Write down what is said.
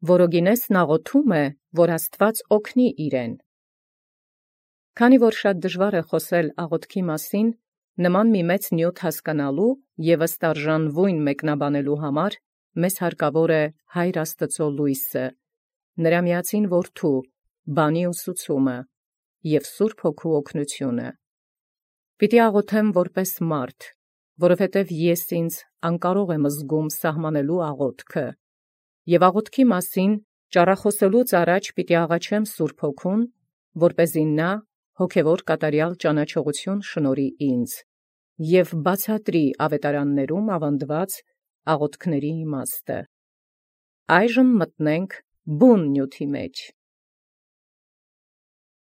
որոգինեսն աղոթում է, որ Աստուած օգնի իրեն։ Քանի որ շատ դժվար է խոսել աղոթքի մասին, նման մի մեծ նյութ հասկանալու և ըստ արժանվոյն մեկնաբանելու համար, մեզ հարկավոր է Հայր Աստուծոյ լույսը, նրա միածին Որդու, բանի ուսուցումը և Սուրբ Հոգու օգնությունը։ Պիտի աղոթեմ որպես մարդ, որովհետև ես ինձ անկարող եմ զգում սահմանելու աղոթքը, և աղոթքի մասին ճառախոսելուց առաջ պիտի աղաչեմ Սուրբ Հոգուն, որպեսզի նա հոգևոր կատարյալ ճանաչողություն շնորհի ինձ և բացատրի ավետարաններում ավանդված աղոթքների իմաստը։ Այժմ մտնենք բուն նյութի մեջ։